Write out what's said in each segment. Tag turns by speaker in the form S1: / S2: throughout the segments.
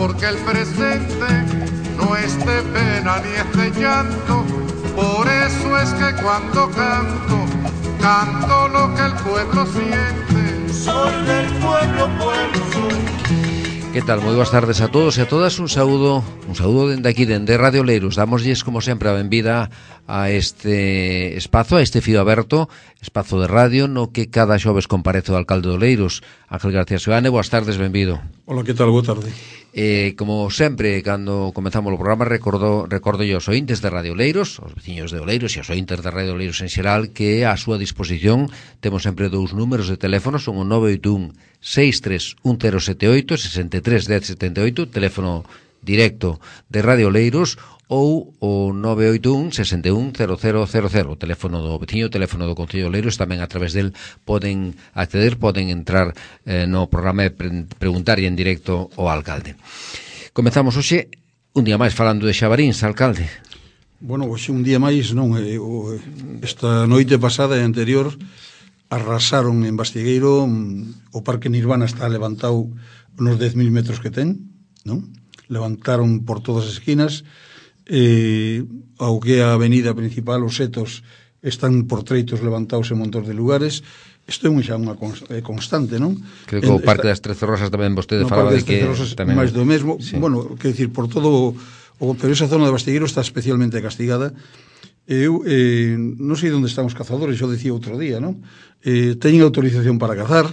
S1: porque el presente no es de pena ni es de llanto. Por eso es que cuando canto, canto lo que el pueblo siente. Soy del pueblo, pueblo soy.
S2: Que tal? Moi boas tardes a todos e a todas. Un saúdo dende aquí, dende Radio Oleiros. Damosllles, como sempre, a benvida a este espazo, a este fío aberto, espazo de radio, no que cada xoves comparece o alcalde de Oleiros, Ángel García Seoane. Boas tardes, benvido.
S3: Hola, que tal? Boa tarde.
S2: Como sempre, cando comezamos o programa, recordo os ointes de Radio Oleiros, os veciños de Oleiros e os ointes de Radio Oleiros en xeral, que a súa disposición temos sempre dous números de teléfono, son o 981 631078 63 1078, teléfono directo de Radio Oleiros, ou o 981 61 0000, teléfono do veciño, teléfono do Concello de Oleiros. Tamén a través del poden acceder, poden entrar no programa e preguntar en directo ao alcalde. Comezamos hoxe un día máis falando de Xabaríns, alcalde.
S3: Bueno, hoxe un día máis, non, esta noite pasada e anterior arrasaron en Bastigueiro. O Parque Nirvana está levantado nos 10.000 metros que ten, non? Levantaron por todas as esquinas. Ao que a avenida principal, os setos están por treitos levantados en montón de lugares. Isto é xa unha constante, non?
S2: Creo que o Parque das Trece Rosas tamén vostede falaba de que
S3: tamén máis do mesmo, sí. Bueno, quer dicir, por todo pero esa zona de Bastigueiro está especialmente castigada. Eu non sei onde están os cazadores, eu dicía outro día, non? Teñen autorización para cazar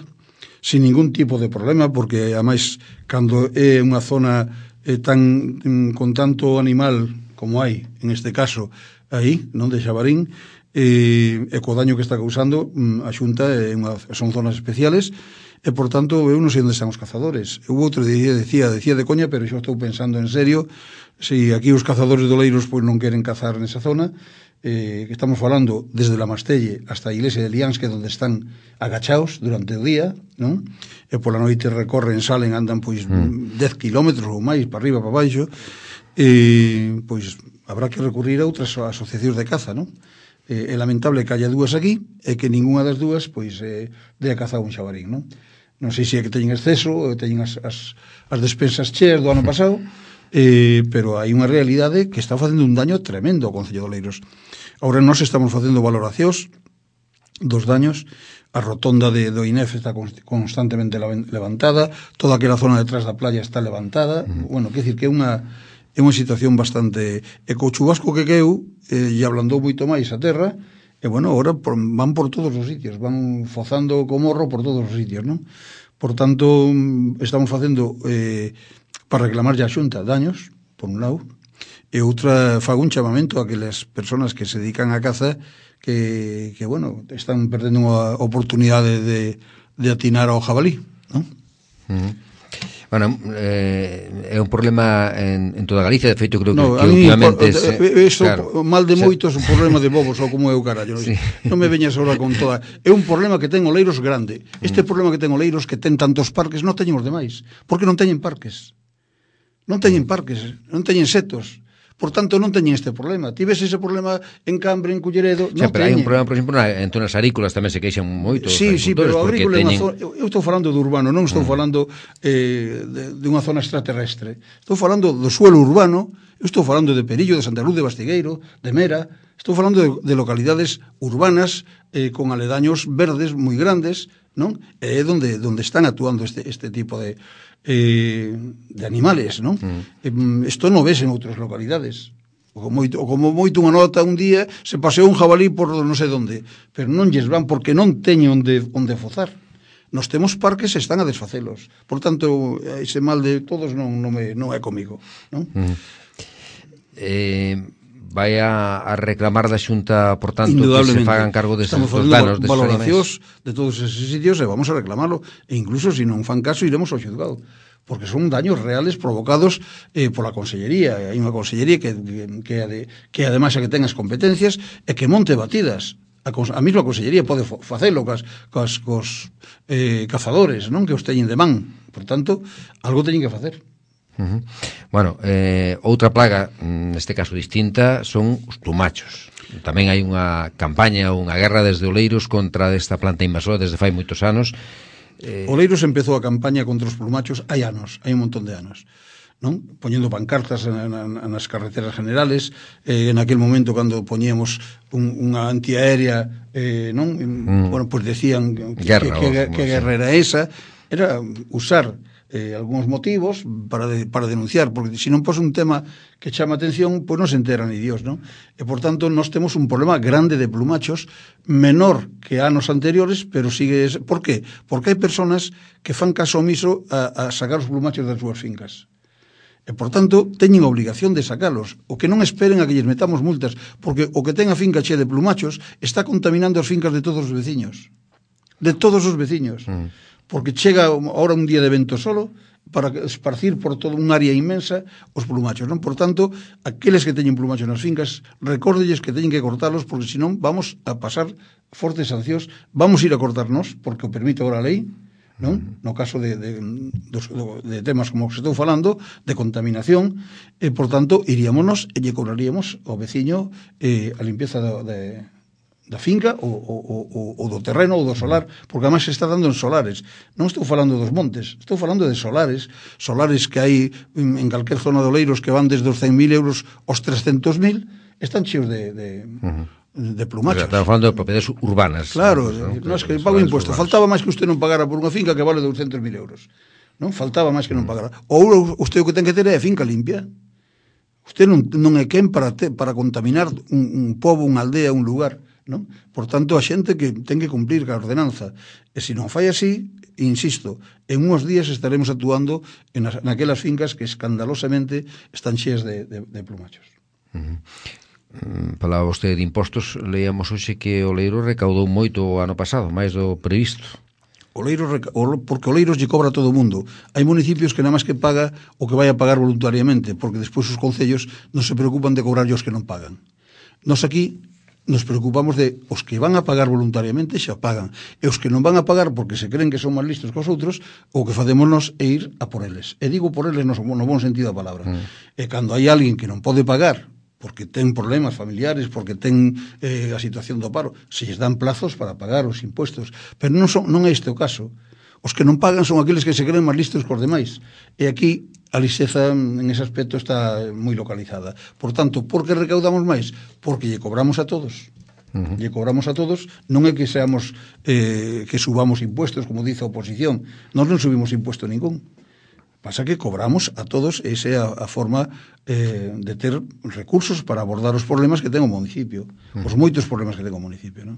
S3: sin ningún tipo de problema, porque ademais cando é unha zona con tanto animal como hai, en este caso aí, non, de Xabarín, e co daño que está causando a Xunta, son zonas especiales, e por tanto eu non sei onde están os cazadores. Eu outro día decía de coña, pero xa estou pensando en serio, se aquí os cazadores de Oleiros pois non queren cazar nesa zona, que estamos falando desde la Mastelle hasta a iglesia de Lians, que é onde están agachaos durante o día, non? E pola noite recorren, salen, andan pois 10 kilómetros ou máis para arriba, para baixo. Pois habrá que recurrir a outras asociacións de caza, non? É lamentable que haya dúas aquí e que ninguna das dúas pois dé a caza a un xabarín, non? Non sei se é que teñen exceso ou teñen as despensas cheas do ano pasado, pero hai unha realidade que está facendo un daño tremendo ao Concello de Oleiros. Agora nós estamos facendo valoracións dos daños. A rotonda do INEF está constantemente levantada, toda aquela zona detrás da playa está levantada. Bueno, quer dicir que é unha situación bastante... E co chubasco que queu, e ablandou moito máis a terra, e bueno, agora van por todos os sitios, van fozando co morro por todos os sitios, non? Por tanto, estamos facendo para reclamar a Xunta daños, por un lado, e outra, fago un chamamento a aquelas persoas que se dedican á caza que bueno, están perdendo unha oportunidade de atinar ao jabalí, non?
S2: Bueno, é un problema en toda Galicia, de feito creo que últimamente
S3: claro, mal de moitos, un problema de bobos ou como é o carallo, sí. Non me veñas ahora con toda. É un problema que ten Oleiros grande. Este problema que ten Oleiros, que ten tantos parques, non teñen os demais, porque non teñen parques. Non teñen parques, non teñen setos. Por tanto, non teñen este problema. Ti ves ese problema en Cambre, en Culleredo, non teñen.
S2: Pero hai un problema, por exemplo, en zonas agrícolas tamén se queixan moito.
S3: Sí, pero agrícola é unha zona... Eu estou falando do urbano, non estou falando de unha zona extraterrestre. Estou falando do suelo urbano, eu estou falando de Perillo, de Santa Luz de Bastigueiro, de Mera. Estou falando de localidades urbanas con aledaños verdes moi grandes, non? É onde están actuando este tipo de animales, non? Isto non ves en outras localidades. O como moito unha nota un día se paseou un jabalí por non sei onde, pero non lles van porque non teñen onde fozar. Nos temos parques e están a desfacelos. Por tanto, ese mal de todos non é comigo, non?
S2: Vai a reclamar da Xunta, por tanto, que se fagan cargo destes danos,
S3: destes valoracións de todos esos sitios e vamos a reclamarlo, e incluso se non fan caso iremos ao xuzgado, porque son daños reales provocados pola Consellería. Hai unha Consellería que ademais a que ten as competencias e que monte batidas. A mesma Consellería pode facelo cos cazadores, non, que os teñen de man. Por tanto, algo teñen que facer.
S2: Bueno, outra plaga, neste caso distinta, son os plumachos. Tamén hai unha campaña, unha guerra desde Oleiros contra esta planta invasora desde fai moitos anos.
S3: Oleiros empezou a campaña contra os plumachos hai anos, hai un montón de anos. non? Poñendo pancartas nas carreteras generales, en aquel momento cando poñíamos unha antiaérea, non? Bueno, pues decían que guerra era esa, era usar algúns motivos para denunciar, porque se non pos un tema que chama atención, pois non se entera ni Dios, non? E, por tanto, nós temos un problema grande de plumachos, menor que anos anteriores, pero sigue... Por qué? Porque hai personas que fan caso omiso a sacar os plumachos das súas fincas. E, por tanto, teñen obligación de sacalos. O que non esperen a que lles metamos multas, porque o que ten a finca che de plumachos está contaminando as fincas de todos os veciños. De todos os veciños. Porque chega ahora un día de vento solo para esparcir por toda un área inmensa os plumachos, non? Por tanto, aqueles que teñen plumachos nas fincas, recórdelles que teñen que cortalos, porque senón vamos a pasar fortes sancións, vamos ir a cortarnos, porque o permite agora a lei, non? No caso de temas como que estou falando, de contaminación, e, por tanto, iríamonos e lle cobraríamos ao veciño a limpieza da finca ou do terreno ou do solar, porque además se está dando en solares. Non estou falando dos montes, estou falando de solares que hai en calquer zona de Oleiros que van desde os 100.000 euros aos 300.000, están cheos de plumachos.
S2: Estamos falando de propiedades urbanas.
S3: Claro, non es que pago impuesto. Faltaba máis que usted non pagara por unha finca que vale 200.000 euros. Non? Faltaba máis que non pagara. Ou usted o que ten que ter é a finca limpia. Usted non é quen para contaminar un pobo, unha aldea, un lugar. Non? Por tanto, a xente que ten que cumplir ca ordenanza. E se non fai así, insisto, en uns días estaremos actuando naquelas fincas que escandalosamente están cheas de plumachos.
S2: Falaba vostede de impostos, leíamos hoxe que Oleiro recaudou moito o ano pasado, máis do previsto.
S3: Porque Oleiros lle cobra a todo o mundo. Hai municipios que nada máis que paga o que vai a pagar voluntariamente, porque despois os concellos non se preocupan de cobrar os que non pagan. Nos aquí nos preocupamos de os que van a pagar voluntariamente xa pagan, e os que non van a pagar porque se creen que son máis listos que os outros, o que facémonos é ir a por eles. E digo por eles no bon sentido da palabra. E cando hai alguén que non pode pagar porque ten problemas familiares, porque ten a situación do paro, se lles dan plazos para pagar os impuestos. Pero non é este o caso. Os que non pagan son aqueles que se creen máis listos que os demais. E aquí a lixeza en ese aspecto está moi localizada. Por tanto, por que recaudamos máis? Porque lle cobramos a todos. Lle cobramos a todos, non é que seamos que subamos impuestos, como dice a oposición. Nós non subimos impuesto ningún. Pasa que cobramos a todos, esa é a forma de ter recursos para abordar os problemas que ten o municipio, os moitos problemas que ten o municipio, non?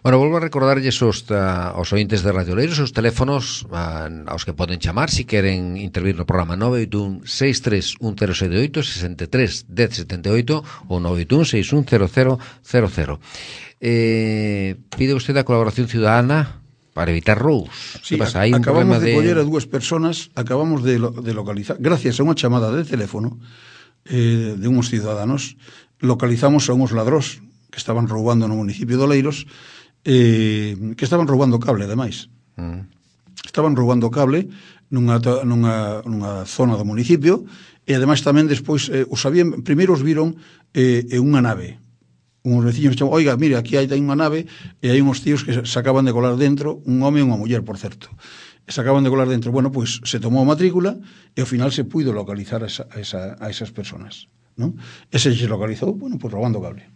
S2: Bueno, volvo a recordarlles aos ointes de Radio Oleiros os teléfonos aos que poden chamar se queren intervir no programa 981 6310778 63 1078 ou 981 610000. Pide vostede a colaboración ciudadana para evitar roubos.
S3: Sí, acabamos de coller a dúas personas, acabamos de localizar, gracias a unha chamada de teléfono de uns ciudadanos, localizamos a uns ladrós que estaban roubando no municipio de Oleiros, que estaban roubando cable, ademais. Estaban roubando cable nunha zona do municipio, e ademais tamén despois os sabían, primeiro os viron en unha nave. Uns veciños chaman, oiga, mire, aquí hai unha nave e hai uns tíos que se acaban de colar dentro, un home e unha muller, por certo. Se acaban de colar dentro. Bueno, pois se tomou a matrícula e ao final se puido localizar a esas personas, non? E se localizou, bueno, pois robando cable.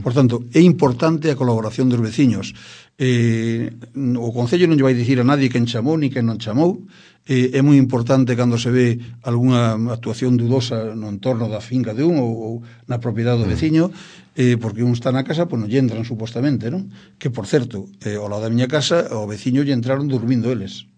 S3: Por tanto, é importante a colaboración dos veciños. O Concello non lle vai dicir a nadie quen chamou ni quen non chamou. É moi importante cando se ve algunha actuación dudosa no entorno da finca de un ou na propiedade do veciño, porque un está na casa, pois non lle entran supostamente, non? Que, por certo, ao lado da miña casa, o veciño lle entraron dormindo eles.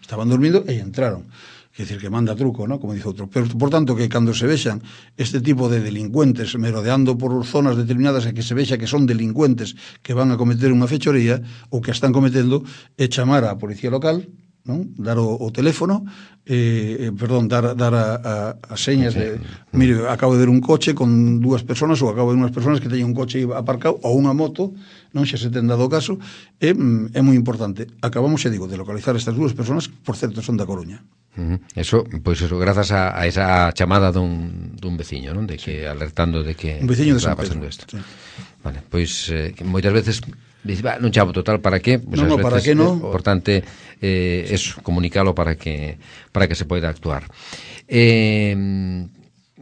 S3: Estaban dormindo e entraron. Quer dizer, que manda truco, ¿no? Como dice outro. Pero, por tanto, que cando se vexan este tipo de delincuentes merodeando por zonas determinadas e que se vexa que son delincuentes que van a cometer unha fechoría ou que están cometendo, é chamar á policía local, non? Dar o teléfono, dar as señas de, mire, acabo de ver un coche con dúas personas, ou acabo de ver unhas personas que teñen un coche aparcado ou unha moto, non xa se ten dado o caso. É moi importante. Acabamos, xa digo, de localizar estas dúas personas, por certo, son da Coruña.
S2: Eso, pois eso, grazas a esa chamada dun veciño, non? De que alertando de que
S3: un veciño de
S2: está
S3: San
S2: pasando
S3: Pedro.
S2: isto.
S3: Sí.
S2: Vale, pois moitas veces Dice, non chamo total, para qué? Pues
S3: no, para qué no.
S2: Importante eso, comunicalo para que se poida actuar.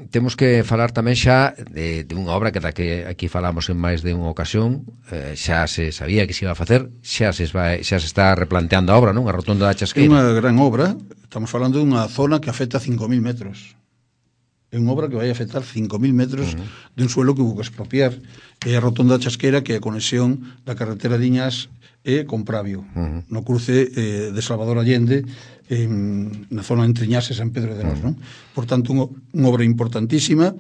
S2: Temos que falar tamén xa de unha obra que aquí falamos en máis de unha ocasión, xa se sabía que se iba a facer, xa se está replanteando a obra, non? A rotonda da Chasqueira.
S3: É unha gran obra, estamos falando dunha zona que afecta 5.000 metros. É unha obra que vai afectar 5.000 metros de un suelo que hubo que expropiar. É a rotonda da Chasqueira, que é a conexión da carretera de Iñas con Pravio, no cruce de Salvador Allende, na zona entre Iñas e San Pedro de Nós, non? Por tanto, unha obra importantísima.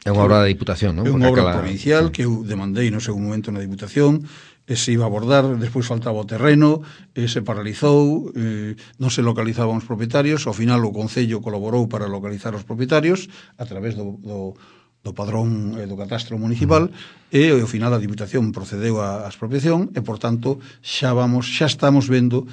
S2: É unha obra da Diputación, non?
S3: É unha obra provincial que eu demandei no seu momento na Diputación, se iba a abordar, despois faltaba o terreno, se paralizou, non se localizaban os propietarios, ao final o Concello colaborou para localizar os propietarios a través do padrón do catastro municipal, e ao final a Diputación procedeu á expropiación e, por tanto, xa estamos vendo,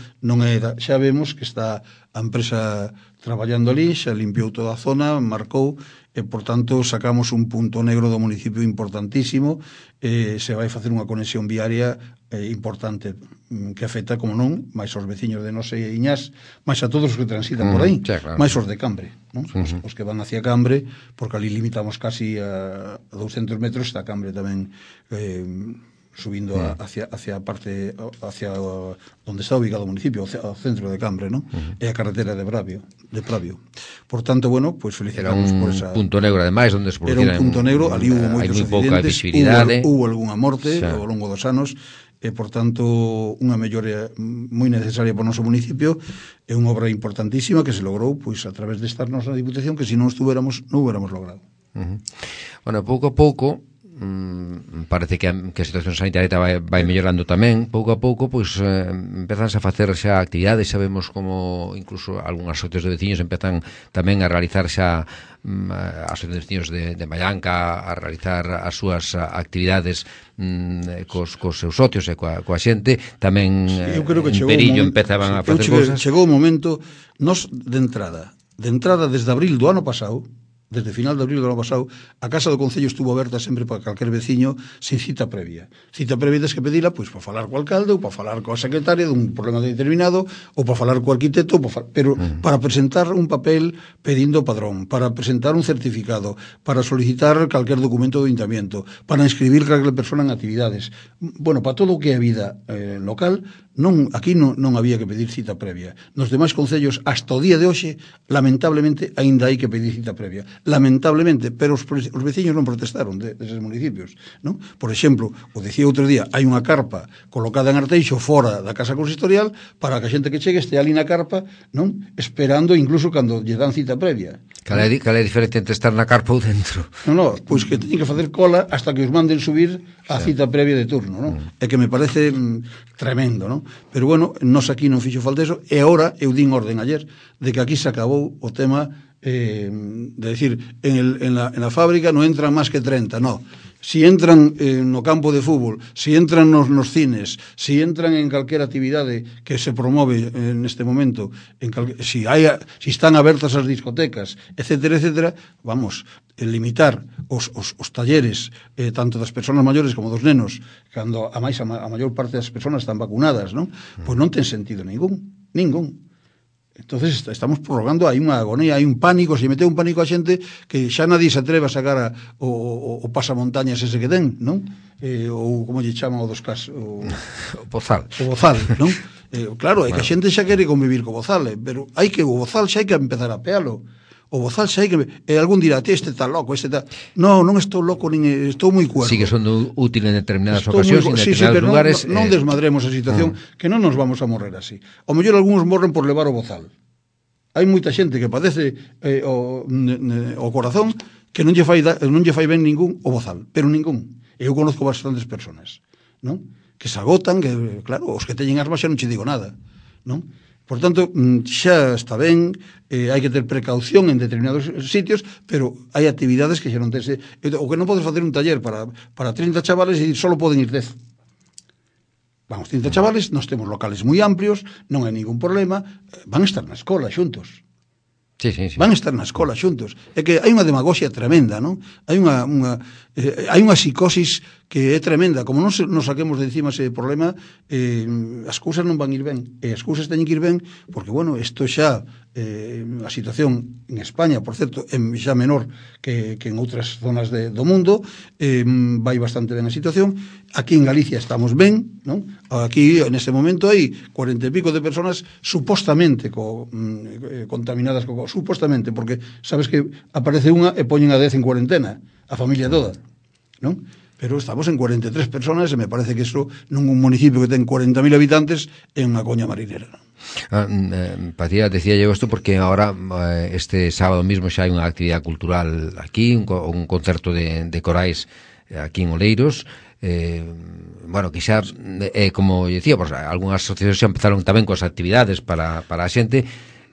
S3: xa vemos que está a empresa traballando ali, xa limpiou toda a zona, marcou, e, por tanto, sacamos un punto negro do municipio importantísimo, se vai facer unha conexión viaria importante que afecta, como non, máis aos veciños de Nós e Iñas, máis a todos os que transitan por aí,
S2: claro.
S3: máis os de Cambre, non? Os que van hacia Cambre, porque ali limitamos casi a 200 metros, está Cambre tamén subindo hacia a parte, hacia onde está ubicado o municipio, ao centro de Cambre, non? É a carretera de Pravio. Por tanto, bueno, pues felicitamos por esa...
S2: Era un punto negro, ademais, onde se produciran...
S3: Era un punto negro, ali hubo moitos accidentes, hubo algunha morte ao longo dos anos, e, por tanto, unha mellora moi necesaria para o noso municipio, é unha obra importantísima que se logrou, pois, a través de estarnos na Diputación, que se non estuéramos, non hubiéramos logrado.
S2: Bueno, pouco a pouco, parece que a situación sanitaria vai mellorando tamén. Pouco a pouco, pois, empezanse a facer xa actividades, xa vemos como incluso algunhas asociacións de veciños empezan tamén a realizar xa asociacións de veciños de Mallanca a realizar as súas actividades cos seus socios e coa xente. Tamén en Perillo empezaban a facer cousas.
S3: Chegou o momento, nos de entrada desde abril do ano pasado, desde final de abril do ano pasado, a Casa do Concello estuvo aberta sempre para calquer veciño sin cita previa. Cita previa tens que pedila, pois, para falar co alcalde ou para falar coa secretaria dun problema determinado ou para falar co arquitecto, pero para presentar un papel pedindo padrón, para presentar un certificado, para solicitar calquer documento do ayuntamiento, para inscribir calquer persona en actividades. Bueno, para todo o que é a vida local, aquí non había que pedir cita previa. Nos demais concellos, hasta o día de hoxe, lamentablemente, aínda hai que pedir cita previa. Lamentablemente, pero os veciños non protestaron deses municipios, non? Por exemplo, o dicía outro día, hai unha carpa colocada en Arteixo fora da casa consistorial para que a xente que chegue este ali na carpa, non? Esperando incluso cando lle dan cita previa.
S2: Cal é a diferencia entre estar na carpa ou dentro?
S3: Non, pois que teñen que facer cola hasta que os manden subir a cita previa de turno, non? É que me parece tremendo, non? Pero bueno, nos aquí non fixo falta eso, e agora eu din orden ayer de que aquí se acabou o tema de decir, en la fábrica non entran máis que 30, no. Si entran no campo de fútbol, si entran nos cines, si entran en calquera actividade que se promove neste momento, si están abertas as discotecas, etcétera, etcétera, vamos, limitar os talleres tanto das persoas maiores como dos nenos, cando a maior parte das persoas están vacunadas, non? Pois non ten sentido ningún. Entonces estamos prorrogando, hai unha agonía, hai un pánico, se meteu un pánico a xente que xa nadie se atreve a sacar o pasamontañas ese que ten, non? Ou como lle chaman o dos casos, o
S2: bozal,
S3: non? Claro, é que a xente xa quere convivir co bozal, pero o bozal xa hai que empezar a pealo. O bozal xa hai que... algún dirá, este está loco, este está... Non estou loco, nin estou moi cuerdo.
S2: Sigue sendo útil en determinadas ocasións, en determinados lugares.
S3: Non desmadremos a situación, que non nos vamos a morrer así. O mellor algúns morren por levar o bozal. Hai moita xente que padece o corazón que non lle fai ben ningún o bozal, pero ningún. Eu conozco bastantes personas, non? Que se agotan, que, claro, os que teñen asma xa non che digo nada, non? Por tanto, xa está ben, hai que ter precaución en determinados sitios, pero hai actividades que xa non tense... O que non podes facer un taller para 30 chavales e só poden ir 10. Vamos, 30 chavales, nós temos locales moi amplios, non hai ningún problema, van a estar na escola xuntos.
S2: Sí.
S3: Van a estar na escola xuntos. É que hai unha demagoxia tremenda, non? Hai unha psicosis que é tremenda. Como non nos saquemos de encima ese problema, as cousas non van ir ben. E as cousas teñen que ir ben, porque, bueno, isto xa, a situación en España, por certo, é xa menor que en outras zonas do mundo, vai bastante ben a situación. Aquí en Galicia estamos ben, non? Aquí, en este momento, hai 40 e pico de personas supostamente contaminadas, supostamente, porque sabes que aparece unha e poñen a 10 en cuarentena, a familia toda, non? Pero estamos en 43 personas e me parece que iso nun municipio que ten 40.000 habitantes é unha coña marinera.
S2: Pacía, decía yo esto porque ahora este sábado mismo xa hai unha actividade cultural aquí, un concerto de corais aquí en Oleiros. Bueno, que xa como decía, pues, algunhas asociacións xa empezaron tamén coas actividades para a xente.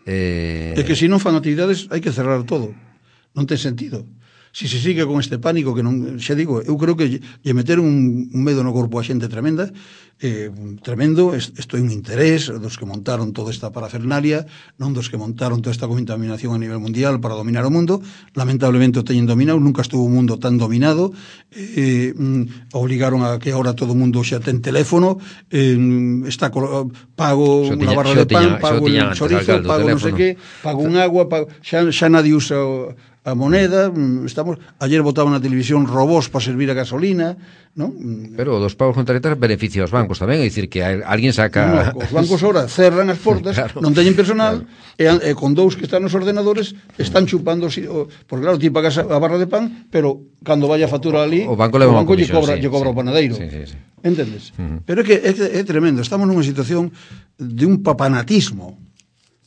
S3: É que se non fan actividades hai que cerrar todo, non ten sentido. Si se sigue con este pánico que non, xa digo, eu creo que lle meter un medo no corpo a xente tremenda, tremendo. Isto é un interés dos que montaron toda esta parafernalia, non dos que montaron toda esta contaminación a nivel mundial para dominar o mundo. Lamentablemente o teñen dominado, nunca estuvo o mundo tan dominado. Obligaron a que ahora todo o mundo xa ten teléfono, está pago unha barra de pan, pago un chorizo, pago non sei que, pago un agua, xa nadie usa a moneda. Ayer botaban na televisión robós para servir a gasolina, non?
S2: Pero dos pagos con tarjetas beneficia aos bancos tamén, é dicir que alguén saca...
S3: Os bancos ahora cerran as portas, claro, non teñen personal, claro, e con dous que están nos ordenadores están chupando, porque claro, ti pagas a barra de pan, pero cando vaya a factura ali,
S2: o banco lle
S3: cobra o panadeiro. Sí. Entendes? Pero é que é tremendo, estamos nunha situación de un papanatismo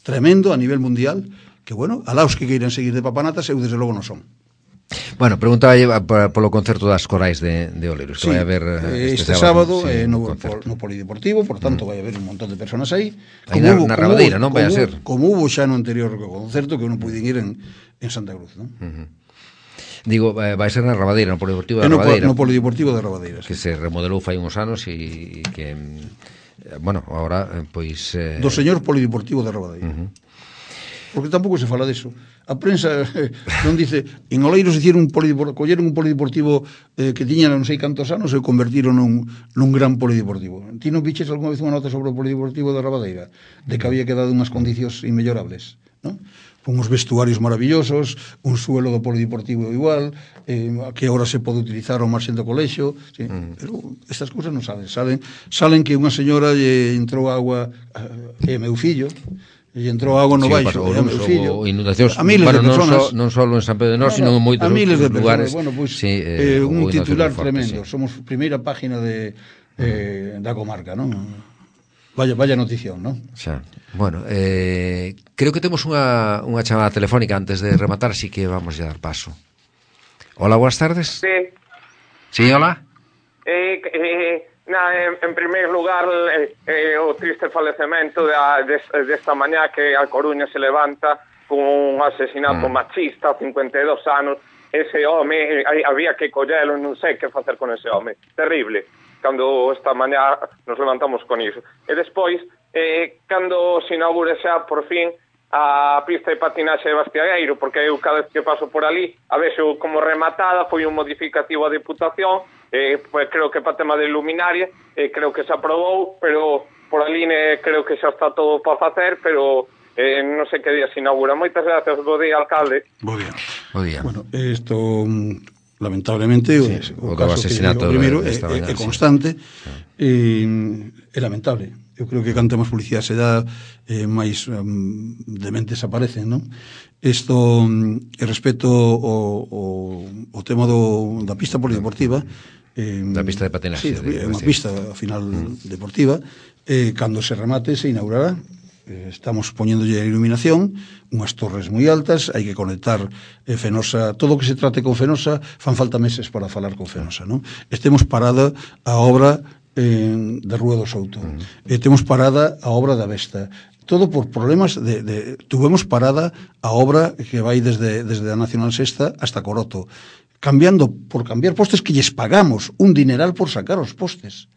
S3: tremendo a nivel mundial, que, bueno, alaos que queiran seguir de papanatas, eu desde logo non son.
S2: Bueno, preguntaba polo concerto das corais de Oleiros, que vai haber
S3: este sábado no Polideportivo, por tanto vai haber un montón de personas aí.
S2: Na Rabadeira, non vai a ser?
S3: Como hubo xa no anterior concerto, que non puiden ir en Santa Cruz, non?
S2: Digo, vai ser na Rabadeira, no Polideportivo da Rabadeira.
S3: No Polideportivo da Rabadeira,
S2: que se remodelou fai uns anos e que, bueno, agora, pois...
S3: Do señor Polideportivo da Rabadeira. Porque tampouco se fala deso. A prensa non dice, en Oleiros colleron un polideportivo que tiña non sei cantos anos e convertiron nun gran polideportivo. Ti non viches algunha vez unha nota sobre o polideportivo da Rabadeira, de que había quedado unhas condicións inmellorables, non? Con uns vestuarios maravillosos, un suelo do polideportivo igual, que agora se pode utilizar ao marxen do colexio, sí. Pero estas cousas non salen que unha señora lle entrou agua e meu fillo, e entrou agua no baixo,
S2: o meu fillo, inundacións,
S3: a miles de personas,
S2: non só en San Pedro de Nós, sino en moitos outros lugares.
S3: Bueno, pues, un titular tremendo, somos primeira página da comarca, non? Vaya notición, non?
S2: Xa. Bueno, creo que temos unha chamada telefónica antes de rematar, así que vamos a dar paso. Hola, boas tardes. Sí, hola.
S4: En primeiro lugar, o triste falecemento desta mañá que a Coruña se levanta con un asesinato machista, 52 anos. Ese home, había que collelo, non sei que facer con ese home. Terrible. Cando esta mañá nos levantamos con iso. E despois, cando se inaugure xa, por fin, a pista de patinaxe de Bastiagueiro, porque eu cada vez que paso por ali, a vexo como rematada, foi un modificativo a Diputación, pues creo que para tema de luminaria, creo que se aprobou, pero por ali creo que xa está todo para facer, pero non sei que día se inaugura. Moitas gracias, bo día, alcalde.
S3: Bo día. Bueno, isto lamentablemente o caso
S2: asesinato
S3: que primeiro é constante, é lamentable. Eu creo que canta máis publicidade se dá, máis dementes aparecen, non? Isto, respecto ao tema da pista polideportiva,
S2: da pista de patinaxe,
S3: é unha pista ao final deportiva, cando se remate se inaugurará. Estamos poñéndolle a iluminación, unhas torres moi altas, hai que conectar Fenosa, todo o que se trate con Fenosa, fan falta meses para falar con Fenosa, non? Estemos parada a obra da Rúa do Souto, temos parada a obra da Vesta, todo por problemas tuvemos parada a obra que vai desde a Nacional Sexta hasta Coroto, por cambiar postes que lles pagamos un dineral por sacar os postes.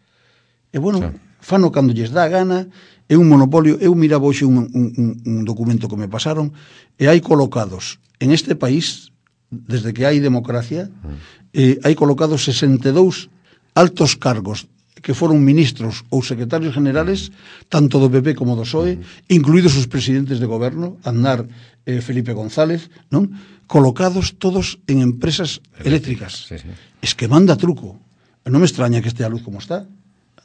S3: E bueno, fano cando lles dá a gana, é un monopolio. Eu miraba hoxe un documento que me pasaron, e hai colocados en este país, desde que hai democracia, hai colocados 62 altos cargos que foron ministros ou secretarios generales tanto do PP como do PSOE, incluídos os presidentes de goberno, Aznar, Felipe González, non? Colocados todos en empresas eléctricas.
S2: Sí, sí.
S3: Es que manda truco. Non me extraña que estea a luz como está.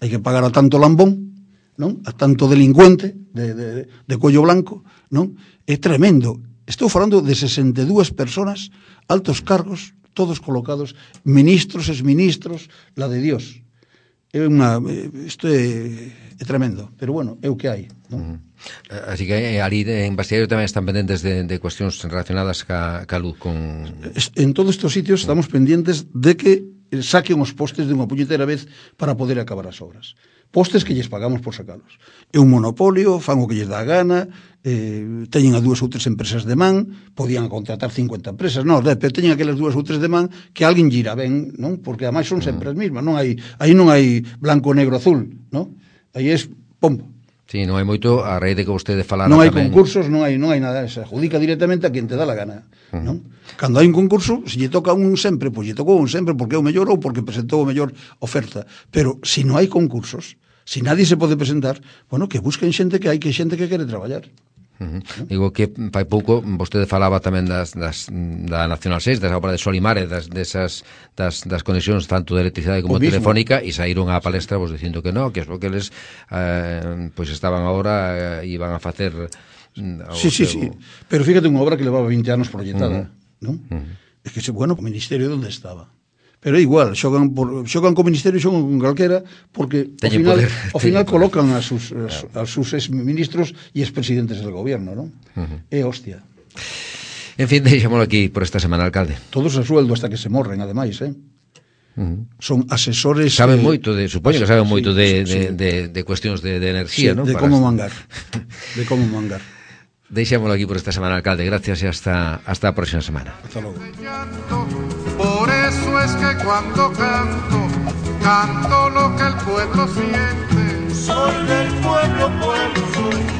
S3: Hai que pagar a tanto lambón, non? A tanto delincuente de cuello blanco, non? É tremendo. Estou falando de 62 personas, altos cargos, todos colocados, ministros, exministros, la de Dios. Isto é tremendo, pero bueno, é o que hai, non?
S2: Así que ali en Bastiario tamén están pendentes de cuestións relacionadas ca luz con...
S3: En todos estes sitios estamos pendientes de que saquen os postes de unha puñetera vez para poder acabar as obras. Postes que lles pagamos por sacalos. É un monopolio, fan o que lles dá a gana, teñen a 2 ou 3 empresas de man, podían contratar 50 empresas, non, pero teñen aquelas 2 ou 3 de man que alguén gira ben, non? Porque ademais son sempre as mesmas, non hai, aí non hai blanco, negro, azul, non? Aí é pombo.
S2: Sí, non hai moito, a raíz de que vostede falara
S3: non hai
S2: tamén...
S3: concursos, non hai nada, se adjudica directamente a quen te dá la gana, non? Cando hai un concurso, se lle toca un sempre, pois lle tocou un sempre porque é o mellor ou porque presentou a mellor oferta, pero se non hai concursos, se nadie se pode presentar, bueno, que busquen xente que hai, que xente que quere traballar.
S2: Digo que fai pouco vostede falaba tamén da Nacional 6, das obras de Solimare, das conexións tanto de electricidade como telefónica, e saíron á palestra vos dicindo que non, que es o que eles pois estaban agora iban a facer
S3: sí, pero fíjate unha obra que levaba 20 anos proyectada, non? É que, bueno, o Ministerio onde estaba? Pero é igual, xogan co Ministerio, xogan con calquera, porque ao final colocan a sus exministros e expresidentes del gobierno, non? É hostia.
S2: En fin, deixámoslo aquí por esta semana, alcalde.
S3: Todos a sueldo hasta que se morren, ademais, son asesores...
S2: Saben moito supoño que saben moito de cuestións de enerxía, non?
S3: De como mangar. De como mangar.
S2: Deixámoslo aquí por esta semana, alcalde. Gracias e hasta a próxima semana.
S3: Hasta logo.
S1: Por eso es que cuando canto lo que el pueblo siente.
S5: Soy del pueblo, soy